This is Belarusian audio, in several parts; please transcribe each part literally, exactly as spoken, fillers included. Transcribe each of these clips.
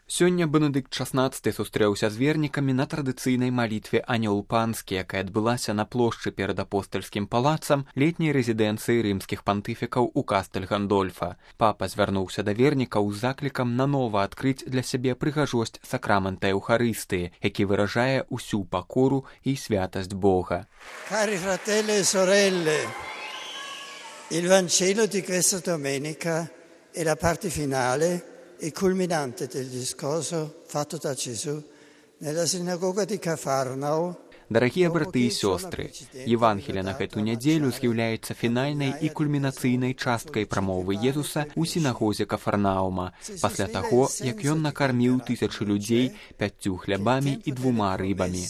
Сёння Бенедыкт шаснаццаты сустрэўся з вернікамі на традыцыйнай малітве «Анёл панскі», якая адбылася на плошчы перад апостальскім палацам летняй рэзідэнцыі рымскіх пантыфікаў у Кастэль Гандольфа. Папа звярнуўся да вернікаў з заклікам нанова адкрыць для сябе прыгажосць сакрамента Еўхарыстыі, які выражае ўсю пакору і святасць Бога. Cari fratelli e sorelle, il Vangelo di questa domenica è la parte finale e culminante del discorso fatto da Gesù nella sinagoga di Cafarnao. Дарагія браты і сёстры, Евангелие на гэту нядзелю з'яўляецца фінальнай і кульмінацыйнай часткай прамовы Езуса ў сінагозе Кафарнаума, пасля таго, як ён накарміў тысячы людзей пяццю хлябамі і двума рыбамі.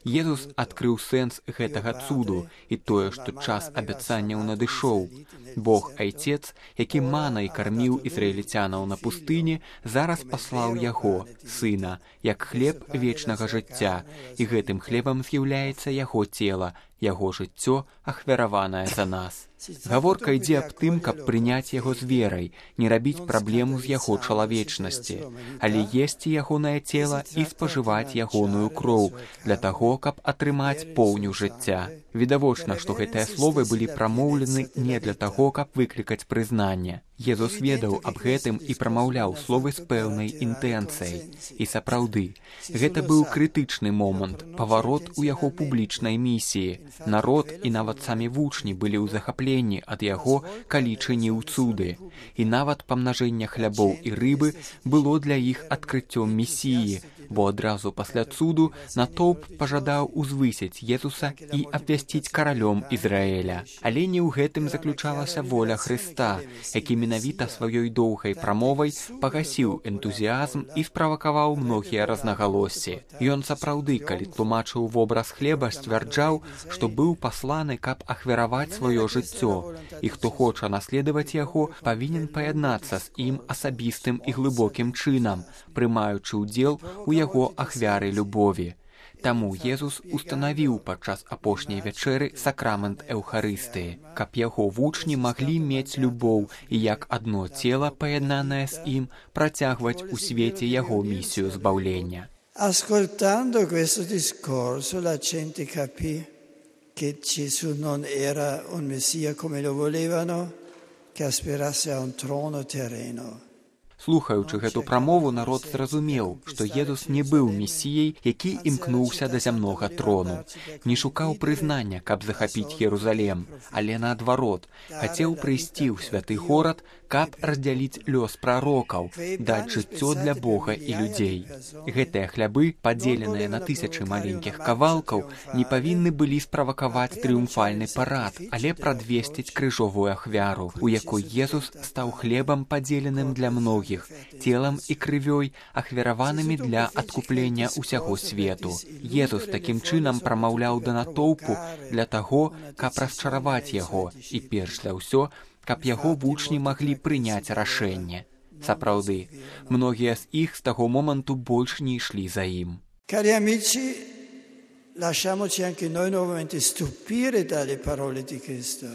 Езус адкрыў сэнс гэтага цуду і тое, што час абяцанняў надышоў. Бог Айцец, які манай карміў ізраільцянаў на пустыні, зараз паслаў яго, сына, як хлеб вечнага жыцця, і гэтым хлебам з'яўляецца яго цела, яго жыццё, ахвяраванае за нас. Гаворка ідзе аб тым, каб прыняць яго з верай, не рабіць праблему з яго чалавечнасці, але есці ягонае цела і спажываць ягоную кроў для таго, каб атрымаць поўню жыцця. Відавочна, што гэтыя словы былі прамоўлены не для таго, каб выклікаць прызнанне. Езус ведаў аб гэтым і прамаўляў словы з пэўнай інтэнцыяй. І сапраўды, гэта быў крытычны момант, паварот у яго публічнай місіі. Народ і нават самі вучні былі ў захапленні ад яго, калі чыніў цуды. І нават памнажэнне хлябоў і рыбы было для іх адкрыццём місіі, бо адразу пасля цуду натоўп пажадаў узвысіць Езуса і абвясціць каралём Ізраэля. Але не ў гэтым заключалася воля Хрыста, які менавіта сваёй доўгай прамовай пагасіў энтузіазм і справакаваў многія рознагалоссі. Ён сапраўды, калі тлумачыў вобраз хлеба, сцвярджаў, што быў пасланы, каб ахвяраваць сваё жыццё, і хто хоча наследаваць яго, павінен паяднацца з ім асабістым і глыбокім чынам, прымаючы ўдзел у яго ахвяры любові. Таму Езус устанавіў падчас апошняй вячэры сакрамент Еўхарыстыі, каб яго вучні маглі мець любоў і як адно цела, паяднанае з ім, працягваць у свеце яго місію збаўлення. Ascoltando questo discorso la gente capì che Gesù non era un Messia come lo volevano, che aspirasse a un trono terreno. Слухаючы гэту прамову, народ зразумеў, што Езус не быў месіяй, які імкнуўся да зямнога трону. Не шукаў прызнання, каб захапіць Єрусалем, але наадварот, хацеў прыйсці ў святы горад, каб раздзяліць лёс прарокаў, даць жыццё для Бога і людзей. Гэтыя хлябы, падзеленыя на тысячы маленькіх кавалкаў, не павінны былі справакаваць трыумфальны парад, але прадвесціць крыжовую ахвяру, у якой Езус стаў хлебам, падзеленым для многіх, целам і крывёй, ахвяраванымі для адкуплення ўсяго свету. Езус такім чынам прамаўляў да натоўпу для таго, каб расчараваць яго і, перш за ўсё, каб яго вучні маглі прыняць рашэнне. Сапраўды, многія з іх з таго моманту больш не ішлі за ім. Cari amici, lasciamoci anche noi nuovamente stupire dalle parole di Cristo.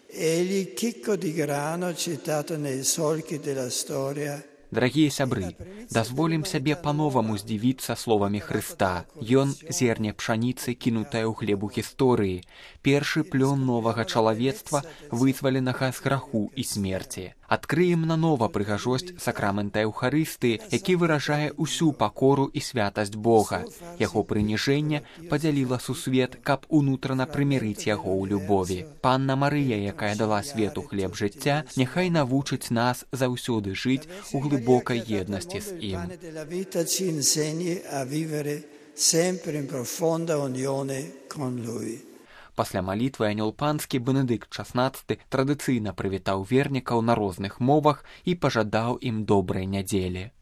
Egli, chicco di grano citato nei solchi della storia. Дарагія сябры, дазволім сябе па-новаму здзівіцца словамі Хрыста. Ён зерне пшаніцы, кінутае ў глебу гісторыі, першы плён новага чалавецтва, вызваленага з граху і смерці. Адкрыем нанова прыгажосць сакрамента Еўхарыстыі, які выражае ўсю пакору і святасць Бога. Яго прыніжэнне падзяліла сусвет, каб унутрана прымірыць яго ў любові. Панна Марыя, якая дала свету хлеб жыцця, няхай навучыць нас заўсёды жыць у глыбокай єднасці з ім. Пасля малітвы «Анёл панскі» Бенедыкт шаснаццаты традыцыйна прывітаў вернікаў на розных мовах і пажадаў ім добрай нядзелі.